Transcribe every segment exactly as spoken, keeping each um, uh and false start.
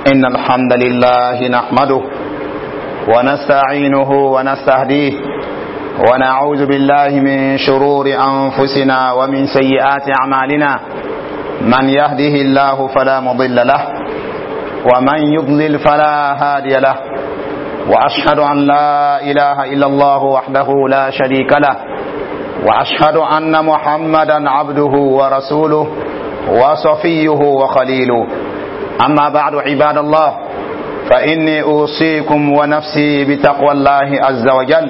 إن الحمد لله نحمده ونستعينه ونستهديه ونعوذ بالله من شرور أنفسنا ومن سيئات أعمالنا من يهده الله فلا مضل له ومن يضلل فلا هادي له وأشهد أن لا إله إلا الله وحده لا شريك له وأشهد أن محمدا عبده ورسوله وصفيه وخليله أما بعد عباد الله فإني أوصيكم ونفسي بتقوى الله عز وجل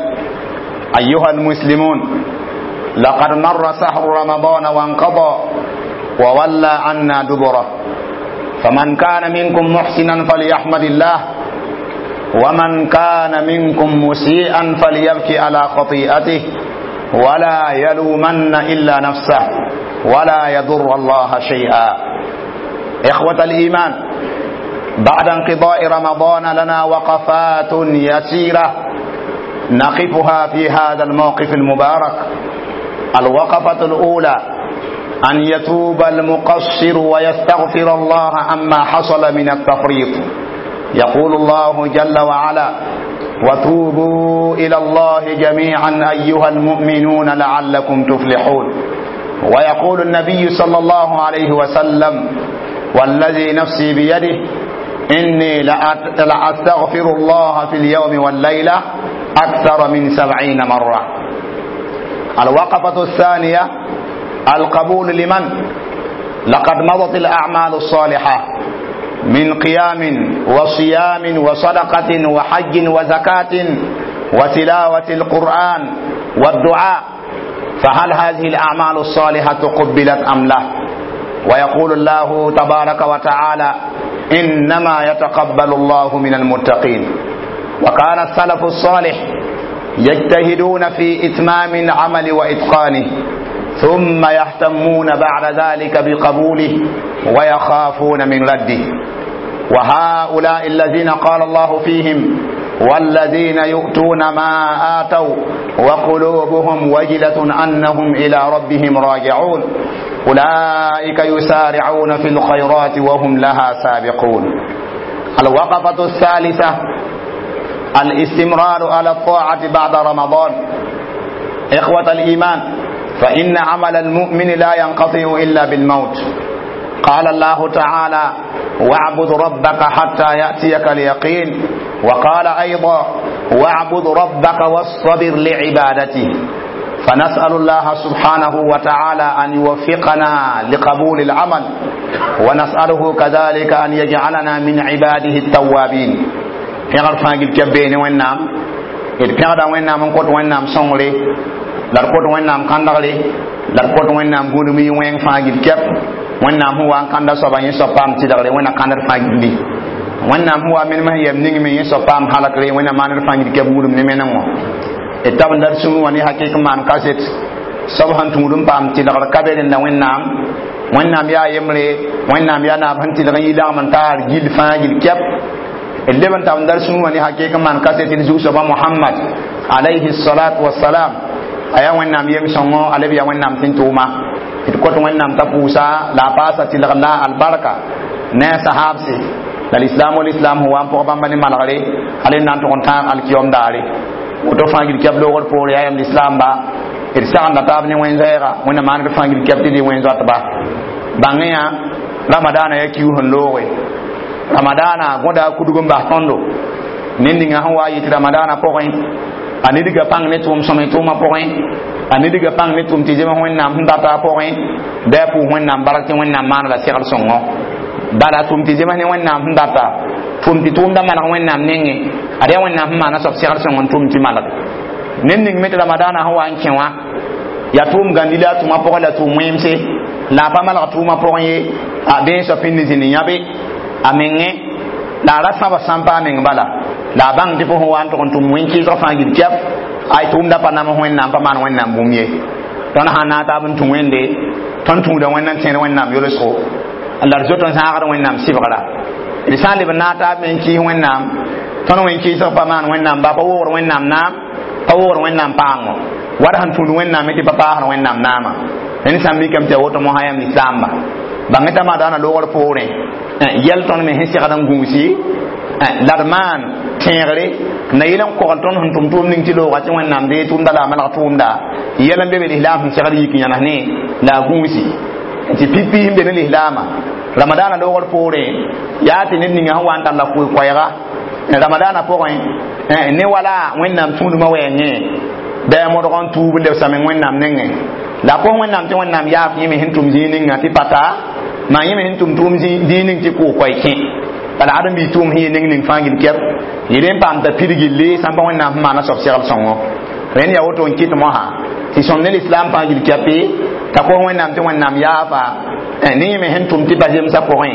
أيها المسلمون لقد مر سحر رمضان وانقضى وولى عنا دبره فمن كان منكم محسنا فليحمد الله ومن كان منكم مسيئا فليبكي على خطيئته ولا يلومن إلا نفسه ولا يضر الله شيئا إخوة الإيمان بعد انقضاء رمضان لنا وقفات يسيرة نقفها في هذا الموقف المبارك الوقفة الأولى أن يتوب المقصر ويستغفر الله عما حصل من التفريط يقول الله جل وعلا وتوبوا إلى الله جميعا أيها المؤمنون لعلكم تفلحون ويقول النبي صلى الله عليه وسلم والذي نفسي بيده إني لأستغفر الله في اليوم والليلة أكثر من سبعين مرة الوقفة الثانية القبول لمن لقد مضت الأعمال الصالحة من قيام وصيام وصدقة وحج وزكاة وتلاوة القرآن والدعاء فهل هذه الأعمال الصالحة قبلت أم لا ويقول الله تبارك وتعالى إنما يتقبل الله من المتقين وكان السلف الصالح يجتهدون في إتمام العمل وإتقانه ثم يهتمون بعد ذلك بقبوله ويخافون من رده وهؤلاء الذين قال الله فيهم والذين يؤتون ما آتوا وقلوبهم وجلة أنهم إلى ربهم راجعون أولئك يسارعون في الخيرات وهم لها سابقون الوقفة الثالثة الاستمرار على الطاعة بعد رمضان إخوة الإيمان فإن عمل المؤمن لا ينقطع إلا بالموت قال الله تعالى واعبد ربك حتى يأتيك اليقين وقال أيضا واعبد ربك واصطبر لعبادته فنسأل الله سبحانه وتعالى أن يوفقنا لقبول العمل ونسأله كذلك أن يجعلنا من عباده التوابين pẽgr fãa gil kɛb beene wẽnnaam d pẽgda wẽnnaam n kõt wẽnnaam sõngre la d kõt wẽnnaam kãndgre la d kõt wẽnnaam gũudum yɩ wẽng fãa gil kɛp wẽnnaam sẽn wa n kãnda soaba yẽ soab paam tɩlgre wẽnna kãndr fãa gilli wẽnnaam sẽn wa menem sẽn yɛm ning me yẽ soab paam halkre wẽnna maaned fãa gil kɛp gũudum ne menengõ d tab n dat sũur wã ne hakɩk n maan kaset soab sẽn tũud n paam tɩlgr ka be rẽnda wẽnnaam wẽnnaam yaa yembre wẽnnaam yaa naab sẽn tɩlg n yi lagm n taar gil fãa gil kɛp d leb n tab n dar sũur wã ne hakɩk n maan kaset d zug-soaba mohamad alayhi salatu wasalam a yaa wẽnnaam yem-sõngo a leb yaa wẽnnaam sẽn tʋʋma d kõt wẽnnaam t'a pʋʋsa la a paasa tɩlg la albarka ne a sahabse la lislaam wa lislaam sẽn wa n pʋg bãmba ne malgre hal n na n tʋg n tãag alkiyom daare woto fãa gil kɛb loogr poore yaa yam lislaamba d sagenda taab ne wẽn-zɛɛga wẽnna maand fãa gil kɛb tɩ dɩ wẽn-zoatba bãngẽ yã ramadaana yaa kius sẽn looge ramadaana gõda a kudg n bas tõndo ned ninga sẽn wa yɩ tɩ ramadaana pʋgẽ a nidga pãng ne tʋʋm sõme tʋʋmã pʋgẽ a nidga pãng ne tʋʋm tɩ zems wẽnnaam sẽn data a pʋgẽ bɩ a pʋʋs wẽnnaam bark tɩ wẽnnaam maana la segl sõngo bala tʋʋm tɩ zems ne wẽnnaam sẽn data tʋʋm tɩ tʋʋmda maneg wẽnnaam nengẽ ad yaa wẽnnaam sẽn maana soab segl sõng n tʋʋm tɩ malg ned ning me tɩ ramadaana sẽn wa n kẽ wã yaa tʋʋm gãndi la a tʋʋmã pʋgẽ la tʋʋm wẽemse la a pa malg tʋʋmã pʋgẽ ye a bee soab pĩnd zĩnd yãbe a mengẽ la a ra sãba sãn pa a meng bala la a bãng tɩ fo sẽn wa n tʋg n tʋm wẽn-kɩɩsg fãa gil kɛp ay tʋʋmda pa nams wẽnnaam pa maan wẽnnaam bũmb ye tõnd sã na n taab n tũ wẽnde tõnd tũuda wẽnd n tẽed wẽnnaam yolsgo la d zoet n zãagd wẽnnaam sɩbgra d sã n leb n naag taab me n kɩɩs wẽnnaam tõnd wẽn-kɩɩsg pa maan wẽnnaam ba pa woogd wẽnnaam naam pa woogd wẽnnaam paango wa d sẽn tũud wẽnnaam tɩ pa paasd wẽnnaam naama ned sã n mikame tɩ a woto mosã yam lislaamba bãng t'a maadaana loogr poorẽ Yɛl tõnd me sẽn segd n gũusi la d maan tẽegre na yel n kogl tõnd sẽn tʋm tʋʋm ning tɩ looga tɩ Wẽnnaam dee tʋʋmda la a malg tʋʋmda yɛl n be be lislaam sẽn segd yik yãnes ne la a gũusi tɩ pipi sẽn be ne lislaamã ramadaana loogr poorẽ yaa tɩ ned ninga sẽn wa n tar la koe-koɛɛga ramadaana pʋgẽ ne wala Wẽnnaam tũudmã wɛɛngẽ bɩ a modg n tuub n lebsame Wẽnnaam nengẽ la kos Wẽnnaam tɩ Wẽnnaam yaaf yẽ me sẽn tʋm zĩig ninga tɩ pata maa yẽ me sẽn tʋm tʋʋm zĩig ning tɩ koog-koɛɛ kẽ bala ãdem bii tʋʋm sẽn yɩ ning ning fãa gil kɛp yɩl n paam t'a pid gilli sãn pa Wẽnnaam sẽn maana soab segl sõngo rẽnd yaa woto n kɩt mosã tɩ sõm ne lislaam fãa gil kɛpe t'a kos Wẽnnaam tɩ Wẽnnaam yaafa ne yẽ me sẽn tʋm tɩ pa zemsã pʋgẽ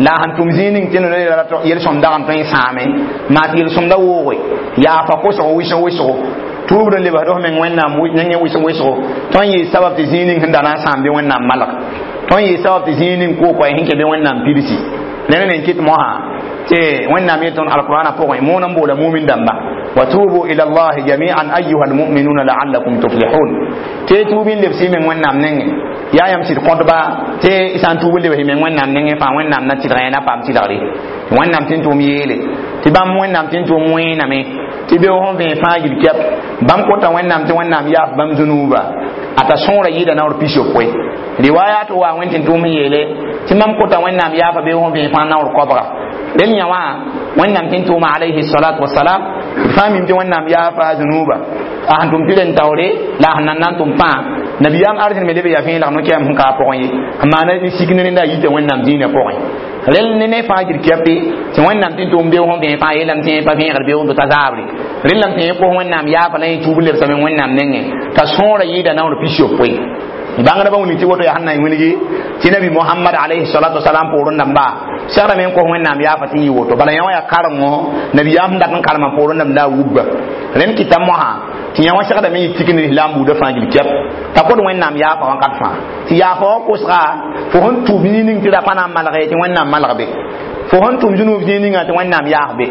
la a sẽn tʋm zĩig ning tɩ yel-sõm dag n tõe n sãame maa tɩ yel-sõmda wooge yaafa kosg wɩsg wɩsgo tuubd n lebsd f meng Wẽnnaam nengẽ wɩsg wɩsgo tõnd yɩɩ sabab tɩ zĩig ning sẽn da na n sãam bɩ Wẽnnaam malg tõnd yɩɩ sabab tɩ zĩig ning koog-koɛɛ sẽn kẽ bɩ Wẽnnaam pidsi rẽnd ne n kɩt mosã tɩ Wẽnnaam yet tõnd alqur'ana pʋgẽ moon n boola mumin dãmba wa tubu ila llahi jami'an ayuha almu'minuna la'allakum tuflihun tɩ tuub n lebs y meng Wẽnnaam nengẽ yaa yãmb sɩd kõtba tɩ sã n tuub n lebs y meng Wẽnnaam nengẽ fãa Wẽnnaam na tɩlg na paam tɩlgre Wẽnnaam tɩ n tʋʋm yeele tɩ bãmb Wẽnnaam tɩ n tʋʋm wẽename tɩ beoog sẽn vẽe fãa gil kɛp bãmb kota Wẽnnaam tɩ Wẽnnaam yaaf bãmb zũnuuba a t'a sõora yɩɩda naoor pis-yopoe riwayat wa wẽn tɩ n tʋʋm yeele tɩ mam kota Wẽnnaam yaafa beoog sẽn vẽe fãa naoor koabga rel yã wã Wẽnnaam tɩ n tʋʋma alayhi salatu wasalam d fãa mim tɩ Wẽnnaam yaafa zũnuuba a sẽn tʋm tɩ ren taoore la a sẽn nan na n tʋm pãa nabiyaam arzẽn me leb yaa vẽeleg no-kɛɛm sẽn ka a pʋgẽ ye n maana ne sik ne rẽnda a yita Wẽnnaam dĩinã pʋgẽ rel ne ne fãa gil kɛpe tɩ Wẽnnaam tɩ n tʋʋm beoog sẽn vẽe fãa yeelame tɩ yẽ pa vẽegd beoog t'a zaabre rel lame tɩ yẽ kos Wẽnnaam yaafa la yẽ tuub n lebsame Wẽnnaam nengẽ t'a sõora yɩɩda naoor pis-yopoe bãngdbã wilg tɩ woto yaa sẽn na n wilgi tɩ nabi Mohamad alayhi salatu wasalam poorẽ dãmba segrame n kos Wẽnnaam yaafa tɩ yɩ woto bala yã wã yaa karengo nabiyaam sẽn dat n karemã poorẽ dãmb la a wubba rẽnd kɩta mosã tɩ yã wã segrame yɩ tik ne lislaam buudã fãa gil kɛp t'a kod Wẽnnaam yaafa wãnkat fãa tɩ yaafa wã kosga fo sẽn tʋb zĩig ning tɩ ra pa na n malge tɩ Wẽnnaam malg be fo sẽn tʋm zũnuub zĩig ninga tɩ Wẽnnaam yaaf be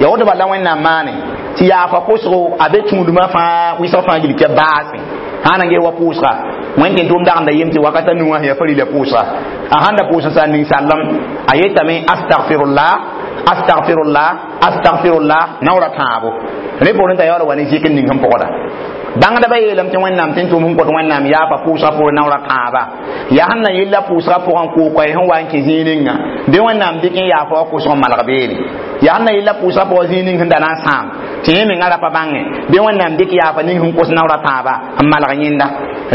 ya woto bala Wẽnnaam maane tɩ yaafa kosgo a be tũudmã fãa wɩsg fãa gil kɛp baase sã na n ges wa pʋʋsga wẽnd tɩ tʋʋm dagenda yem tɩ wakata nu wã sẽn yaa farila pʋʋsga a sãn da pʋʋs n sa ninsaalem a yetame astagfirullah astagfirullah astagfirullah naoora tãabo rẽ poorẽ t'a yaool wa ne zɩk n ning sẽn pʋgda bãngdbã yeelame tɩ Wẽnnaam tɩ n tʋʋm sẽn kõt Wẽnnaam yaafa pʋʋsga poorẽ naoora tãaba yaa sẽn na yella pʋʋsga pʋgẽ koog-koɛɛ sẽn wa n kẽ zĩig ninga bɩ Wẽnnaam dɩk n yaafa wa kosg n malg beene yaa sẽn na yella pʋʋsga pʋgẽ zĩig ning sẽn da na n sãam tɩ yẽ menga ra pa bãngẽ bɩ Wẽnnaam dɩk yaafa ning sẽn kos naoora tãaba n malg yẽnda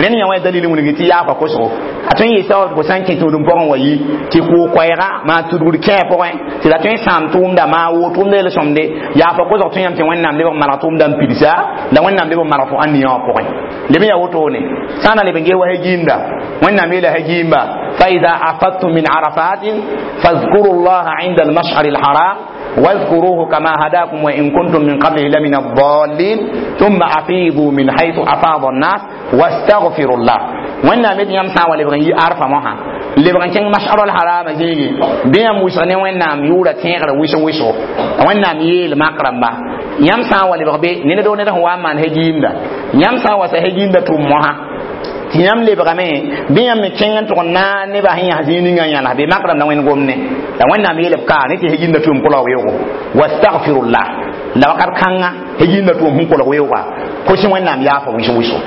rẽnd yã wã dalil wilgi tɩ yaafa kosgo a tõe n yɩ sabab tɩ fo sã n kẽ tũudum pʋgẽ wa yi tɩ koog-koɛɛga maa tudgd kẽe pʋgẽ tɩ la tõe n sãam tʋʋmda maa woo tʋʋmda yel-sõmde yaafa kosg tõe yãmb tɩ Wẽnnaam leb n malg tʋʋmda n pidsa la Wẽnnaam leb n malg fo ãnniya wã pʋgẽ leb n yaa wotone sã n na leb n ges wa hagiimda Wẽnnaam yeela hagiimba fa ida afadtum min arafatin fadhkuru llaha inda almashari alharam واذكروه كما هداكم وإن كنتم من قبله لمن الضالين ثم أفيضوا من حيث أفاض الناس واستغفروا الله وإن مد يم سا ولبغن يي عرفة مها لبغن كين مشعر الحرام زيغي بيام وسنه وإن يورا تيغر ويسو ويسو وإن ييل مقرم با yãmb sã n wa lebg be ned do ned sẽn wa n maan hagiimda yãmb sã n wa sa hagiimda tʋm mosã tɩ yãmb lebgame bɩ yãmb me kẽng n tʋg n naag nebã sẽn yãs zĩig ninga n yãls be mak rãmb la wẽnd gomne la Wẽnnaam yeelb ka ne tɩ hagiimda tʋʋm kolg weoogo wastagfirullah la wakat kãnga hagiimda tʋʋm sẽn kolg weooga kos Wẽnnaam yaafa wɩsg wɩsgo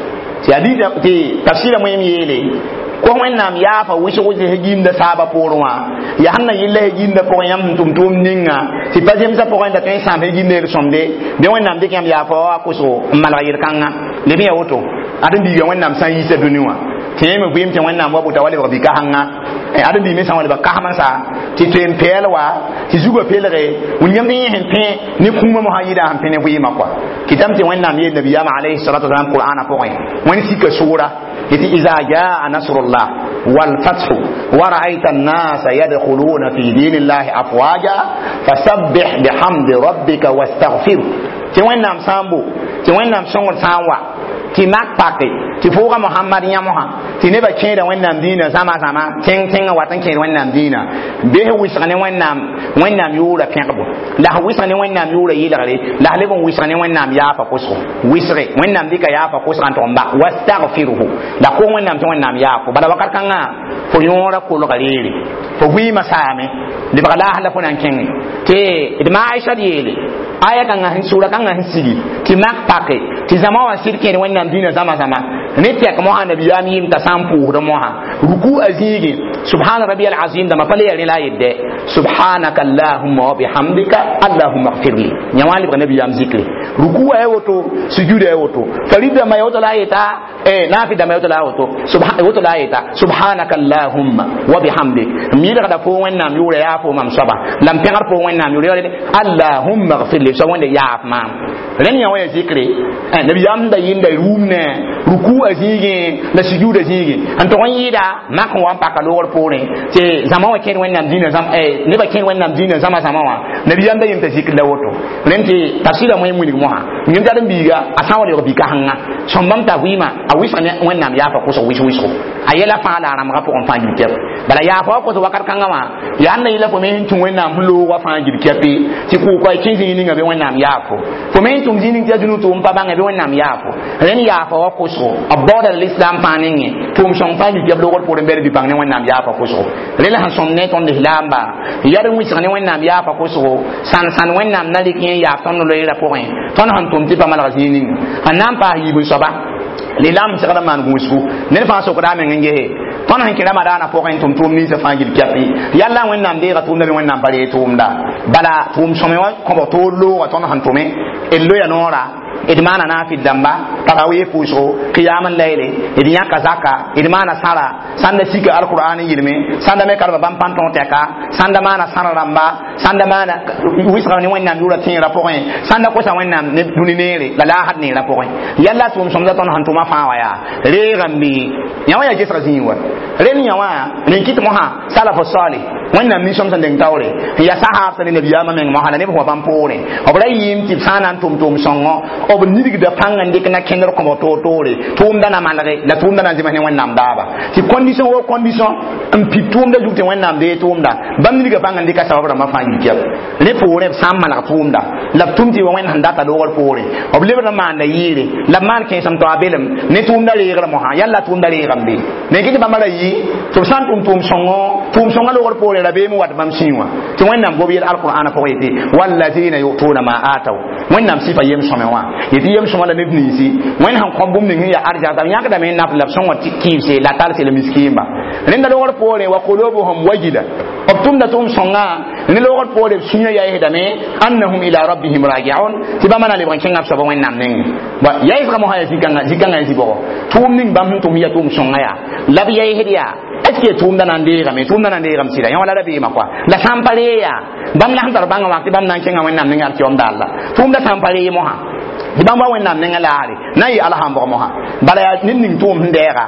tɩ hadisa tɩ tafsɩra moẽm yeele kos Wẽnnaam yaafa wɩsg wɩsg hagiimda saaba poorẽ wã yaa sẽn na yella hagiimda pʋgẽ yãmb sẽn tʋm tʋʋm ninga tɩ pa zemsã pʋgẽ da tõe n sãam hagiimda yel-sõmde bɩ Wẽnnaam dɩk yãmb yaafa wa kosgo n malg yel-kãnga leb n yaa woto ãdem biiga Wẽnnaam sã n yiisa dũni wã tɩ yẽ me vɩɩm tɩ Wẽnnaam wa bota wa lebg bi-kasengã ãdem bii me sã n wa lebg kasem n sa tɩ toe n pɛɛl wa tɩ zugã pelge wilgame tɩ yẽ sẽn pẽ ne kũumã mosã yɩɩda sẽn pẽ ne vɩɩmã kɔa kɩtame tɩ Wẽnnaam yeel nabiyaamã alayhi salatu wasalam qur'ana pʋgẽ Wẽnd sika soora yetɩ iza jaa nasrullah walfathu wa ra'ayta an-nasa yadkhuluna fi dinillahi afwaja fasabbih bihamdi rabbika wastaghfir tɩ Wẽnnaam sã n bo tɩ Wẽnnaam sõngd sã n wa tɩ Tɩ mak pake tɩ fooga Mohamad yã mosã tɩ nebã kẽeda Wẽnnaam dĩinã zãma zãma tẽng tẽngã wat n kẽed Wẽnnaam dĩinã bes wɩsg ne Wẽnnaam Wẽnnaam yʋʋra pẽgbo la s wɩsg ne Wẽnnaam yʋʋra yɩlgre la s leb n wɩsg ne Wẽnnaam yaafa kʋsgo wɩsge Wẽnnaam dɩka yaafa kʋsga n tʋg n ba wastagfirhu la kos Wẽnnaam tɩ Wẽnnaam yaafo bala wakat kãngã fo yõora kolga reere fo vɩɩmã saame lebg laas la fo na n kẽngẽ tɩ d ma Aisha d yeele aya kãngã sẽn sʋra kãngã sẽn sigi tɩ mak pake tɩ zãma wã sɩd kẽed Wẽnnaam dĩinã zãma zãma ne tɛk mosã nabiyaam yɩɩm t'a sã n pʋʋsd mosã ruku a zĩigẽ subhana rabi alazim dãmba pa le ya rẽ la a yetdɛ subhanaka allahumma wa bihamdika allahumma gfirli yã wã lebg nabiyaam zikre ruku a ya woto sujuda ya woto farid dãmba ya woto la a yeta nafi dãmba ya woto la a woto woto la a yeta subhanaka allahumma wa bihamdik m yɩlgda fo Wẽnnaam yʋʋra yaa fo mam soaba la m pẽgd fo Wẽnnaam yʋʋra allahumma gfirli soab Wẽnde yaaf maam rẽnd yã wã ya zikre nabiyaam sẽn da yɩnda rũum ne ruku a zĩigẽ la sujuda zĩigẽ n tʋg n yɩɩda mak n wa n paka loogr poorẽ tɩ zãma wã kẽed Wẽnnaam dĩinã nebã kẽed Wẽnnaam dĩinã zãma zãma wã nabiyaam da yem t'a zikr la woto rẽnd tɩ tafsɩra moẽ wilg mosã yem t'a d-n-biiga a sã n wa lebg bi-kãsenga sõm bãmb t'a vɩɩmã a wɩsg ne Wẽnnaam yaafa kʋsg wɩs-wɩsgo a yɛla fãa la a rãmbga pʋgẽ fãa gil kɛp bala yaafa wa kos wakat kãngã wã yaa n na yɩla fo me sẽn tũ Wẽnnaam sẽn loog wa fãa gil kɛpe tɩ kʋʋka y kẽ zĩig ninga bɩ Wẽnnaam yaafo fo me sẽn tʋm zĩig ning tɩ ya dũnug tʋʋm pa bãnge bɩ Wẽnnaam yaafo rẽnd yaafa wa kʋsgo b baooda lislaam fãa nengẽ tʋʋm sõng fãa gil kɛp loogr poorẽ bɛd bɩ-pãng ne Wẽnnaam yaafa kʋsgo rẽ la sẽn sõm ne tõnd lislaamba yad n wɩsg ne Wẽnnaam yaafa kʋsgo sãn-sãn Wẽnnaam na rɩk yẽ yaaf tõnd loeera pʋgẽ tõnd sẽn tʋm tɩ pa malg zĩig ninga sẽn na n paas yiib n soaba lislaam segd n maan gũusgu ned fãa sokda a meng n gese tõnd sẽn kẽ ramadaanã pʋgẽ tʋm tʋʋm ninsã fãa gil kɛpɩ yalla Wẽnnaam deega tʋʋmda bɩ Wẽnnaam pa ree tʋʋmda bala tʋʋm sõme wã kõbg toor looga tõnd sẽn tʋme d loya noora d maana naafɩd dãmba tarawih pʋʋsgo qiyam layle d yãka zaka d maana sãra sãn da sika alqur'an n yɩlme sãn da me karema bãmb pãn tõog tɛka sãn da maana sãra rãmba sãn da maana wɩsga ne Wẽnnaam yʋʋra tẽerã pʋgẽ sãn da kosa Wẽnnaam ne dũni neere la laasd neerã pʋgẽ yalla tʋʋm sõmda tõnd sẽn tʋma fãa wã yaa reegame yã wã yaa gesga zĩig wa rẽnd yã wã rẽn kɩt mosã salaf salih Wẽnnaam nin-sõm sẽn deng taoore n yaa sahaab sẽn ne nabiyaamã meng mosã la neb sẽn wa bãmb poorẽ b ra yɩɩm tɩ b sã n na n tʋm tʋʋm sõngo b nidgda pãng n dɩk na kẽndr kõbg toor toore tʋʋmda na malge la tʋʋmda na n zems ne Wẽnnaam daaba tɩ condition wo condition n pid tʋʋmda zug tɩ Wẽnnaam dee tʋʋmda bãmb nidga pãng n dɩka sabab rãmbã fãa yil kɛp rẽ poorẽ b sã n maneg tʋʋmda la b tʋm tɩ wa Wẽnd sẽn data loogr poorẽ b lebd n maanda yɩɩre la b maan kẽesem tɩ a belem ne tʋʋmda reegr mosã yalla tʋʋmda reegame be ne kɩ tɩ bãmba ra yɩ tɩ b sã n tʋm tʋʋm sõngo tʋʋm sõngã loogr poorẽ rabeem wat bãmb sĩig wã tɩ Wẽnnaam gob yel alqur'ana pʋgẽ yetɩ wallazina yutuna ma ataw Wẽnnaam sɩfa yem sõme wã yetɩ yem sõma la neb ninsi Wẽnd sẽn kõ bũmb ning sẽn yaa arzãk b yãkdame n naf la b sõngã kɩɩbse la talse la miskiimba rẽnda loogr poorẽ wa qulubuhum wajila b tʋmda tʋʋm sõngã ne loogr poorẽ b sũyã yaɩsdame annahum ila rabbihim rajiun tɩ bãmba na lebg n kẽngã b soaba Wẽnnaam nengẽ yaɩsga mosã yaa zĩ-kãngã zĩ-kãngã yaa zĩ-bʋgɔ tʋʋm ning bãmb sẽn tʋm yaa tʋʋm sõngã yaa la b yaɩsd yaa est ce que tʋʋmda na n deegame tʋʋmda na n deegame sɩda yã wala rabeemã kɔa la sã n pa ree yaa bãmb la sẽn tar bãngã wã tɩ bãmb na n kẽngã Wẽnnaam nengã alkiyom daar la tʋʋmda sã n pa ree mosã tɩ bãmb wa Wẽnnaam nengã laare na n yɩ alhambg mosã bala yaa ned ning tʋʋm sẽn dɛɛga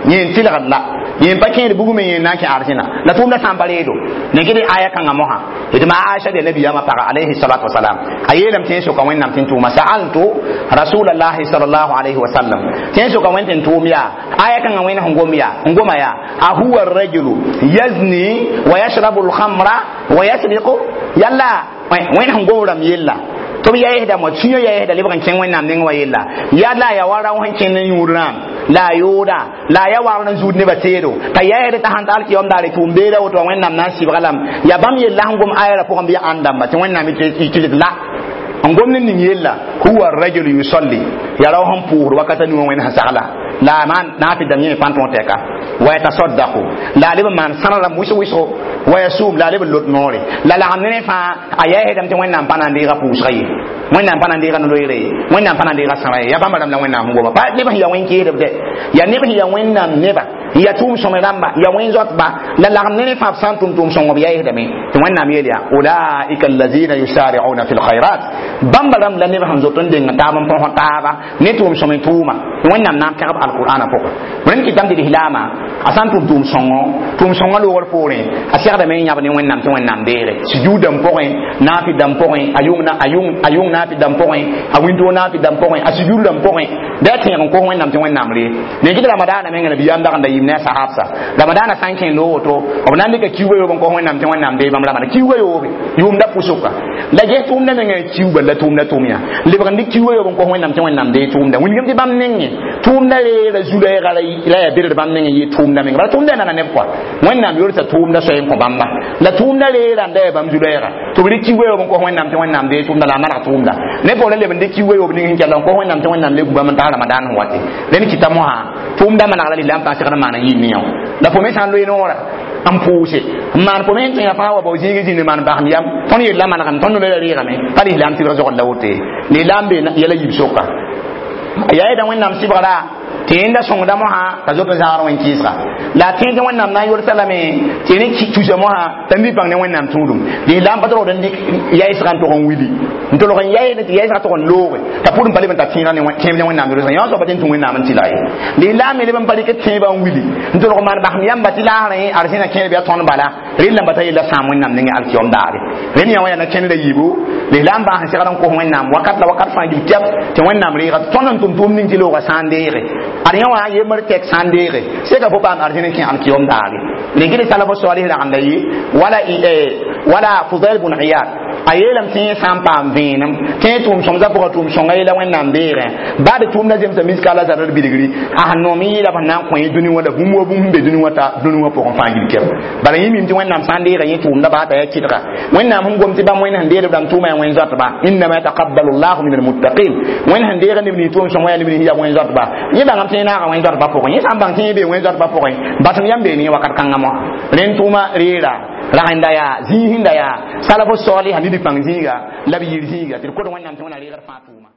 yẽ n tɩlgd la yẽ pa kẽed bugmẽ yẽ n na n kẽ arzẽna la tʋʋmda sã n pa reedo ne kɩ aya kãngã mosã d ma Aisha de nabiyaamã paga alayhi salatu wasalam a yeelame tɩ soka Wẽnnaam tɩ n tʋʋma sa'altu rasulallahi sallallahu alayhi wa sallam tɩ soka Wẽnd tɩ n tʋʋm yaa aya kãngã Wẽnd sẽn gom yaa n goma yaa ahuwa rajulu yazni wa yashrabu alkhamra wa yasriqu yalla Wẽnd sẽn gom rãmb yella tɩ b yaɩsda mo sũyã yaɩsda lebg n kẽng Wẽnnaam neng wa yella yaa la ya wa rao sẽn kẽnd n yũud rãam la a yooda la a ya wagr n zuud nebã teedo t'a yaɩsd t'a sãn ta alkiyom daare tʋʋm beeda woto wa Wẽnnaam na n sɩbga lame yaa bãmb yella sẽn gom ayara pʋgẽ bɩ ya ãnd dãmba tɩ Wẽnnaam yetɩ la n gom ne ning yella huwa rajulu yusalli ya rao sẽn pʋʋsd wakata nuwã Wẽnd sẽn sagla la a maan naafɩ dãmb yẽ pãn tõog tɛka wa yatasaddaqu la a leb n maan sãra rãmb wɩs-wɩsgo wa yasum la a leb n lot noore la lagem ne fãa a yaɩsdame tɩ Wẽnnaam pa na n deega pʋʋsga ye Wẽnnaam pa na n deega no-loeere ye Wẽnnaam pa na n deega sãra ye yaa bãmba rãmb la Wẽnnaam sẽn goma pa neb sẽn yaa wẽn-keedb dɛ yaa neb sẽn yaa Wẽnnaam neba ya tʋʋm sõme rãmba ya wẽn zoatba la lagem ne fãa b sã n tʋm tʋʋm sõng b yaɩsdame tɩ Wẽnnaam yeel yaa ulaika allazina yusari'una fi lkhairat bãmba rãmb la neb sẽn zot n deng taab n põs taaba ne tʋʋm sõme tʋʋma tɩ Wẽnnaam na n pẽgb alqur'ana pʋgẽ rẽnd kɩtame tɩ lislaama A sã n tʋm tʋʋm sõngo, tʋʋm sõngã loogr poorẽ, a segdame n yãb ne Wẽnnaam tɩ Wẽnnaam deege sujuud dãmb pʋgẽ, naafɩ dãmb pʋgẽ, a yʋng a yʋng a yʋng naafɩ dãmb pʋgẽ, a wĩntoog naafɩ dãmb pʋgẽ, a sujuud dãmb pʋgẽ, bɩ a tẽeg n kos Wẽnnaam tɩ Wẽnnaam ree. Ne gɩd ramadaana menga nabiyaam dag n da yɩɩm ne a sahabsa. Ramadaana sã n kẽ loog woto, b na n dɩka kiuugã yoob n kos Wẽnnaam tɩ Wẽnnaam dee bãmb ramada kiuugã yoobe yʋʋmda pʋsʋka la ges tʋʋmda menga n kiuuga la tʋʋmda tʋʋm yã lebg n dɩk kiuugã yoob n kos Wẽnnaam tɩ Wẽnnaam dee tʋʋmda wilgem tɩ bãmb nengẽ tʋʋmda reera zu-lɛɛga la yaa berd bãmb nengẽ yɩ tʋʋmda menga bala tʋʋmda yaa nana neb kɔa Wẽnnaam yolsa tʋʋmda soay n kõ bãmba la tʋʋmda reera n da yaa bãmb zu-lɛɛga tɩ b rɩk kiuugã yoob n kos Wẽnnaam tɩ Wẽnnaam dee tʋʋmda la a maneg tʋʋmda ne pa la leb n dɩk kiuugã yoob ning sẽn kell n kos Wẽnnaam tɩ Wẽnnaam le gu bãmb n tags ramadaan sẽn wate rẽnd kɩta mosã tʋʋmda maneg la lislaam fãa segd n maan n yɩɩ ne yã la fo me sã n loe noora n pʋʋse n maan fo me sẽn tõe fãa wa bao zĩig zĩnd maan basem yam tõnd yella manegame tõnd nola reegame pa lislaam tɩbg zogd la woto ye lislaam be yɛla yiib soka a yaa yeda Wẽnnaam sɩbgra tɩ yẽnda sõngda mosã t'a zoet n zãgr wẽn-kɩɩsga la a tẽeg tɩ Wẽnnaam na n yolsa lame tɩ ne tusa mosã t'a mi bãng ne Wẽnnaam tũudum lislaam pa tolgd n dɩk yaɩsgã n tog n wili n tolg n yaɩd tɩ yaɩsgã tog n looge t'a pʋd n pa leb n ta tẽega tẽeb ne Wẽnnaam yolsgã yõ soaba tɩ n tũ Wẽnnaam n tɩlga ye lislaam me leb n pa rɩk tẽebã n wili n tolg maan basem yãmba tɩ laasrẽ arzẽna kẽer bɩ a tõnd bala rel lamba t'a yella sãam Wẽnnaam nengẽ alkiyom daare rẽnd yã wã yaa na kẽndra yiibu lislaam bãas n segd n kos Wẽnnaam wakat la wakat fãa gil kɛp tɩ Wẽnnaam reega tõnd n tʋm tʋʋm ning tɩ loogã sã n deege ad yã wã yembr tɛk sã n deege seka fo paam arzẽn n kẽ alkiyom daare rɩgd salaf salih ragenda yɩ wala wala Fudail bun Iyad a yeelame tɩ yẽ sã n paam vẽenem tɩ yẽ tʋʋm sõmsã pʋgã tʋʋm sõnga yela Wẽnnaam deegẽ baa d tʋʋmda zemsa miskala zarr bilgri a sẽn noom n yɩɩla b sẽn na n kõ yẽ dũni wã la bũmb wa bũmb sẽn be dũni wã ta dũni wã pʋgẽ fãa gil kɛb bala yẽ mim tɩ Wẽnnaam sã n deega yẽ tʋʋmda baa t'a yaa kɩdga Wẽnnaam sẽn gom tɩ bãmb Wẽnd sẽn deed b rãmb tʋʋma yaa wẽn zoatba innama yataqabbalu llahu min almuttaqin Wẽnd sẽn deega neb nins tʋʋm sõng wã yaa neb nins yaa wẽn zoatba yẽ bãngame tɩ yẽ naaga wẽn zoatba pʋgẽ yẽ sã n bãng tɩ yẽ bee wẽn zoatba pʋgẽ basem yãmb bee ne wakat kãngã moasã rẽnd tʋʋma reera ragenda yaa zĩig sẽn da yaa salafo salɩsa ned pãng zĩiga la b yir zĩiga tɩ d kod Wẽnnaam tɩ Wẽnna reegd fãa tʋʋma.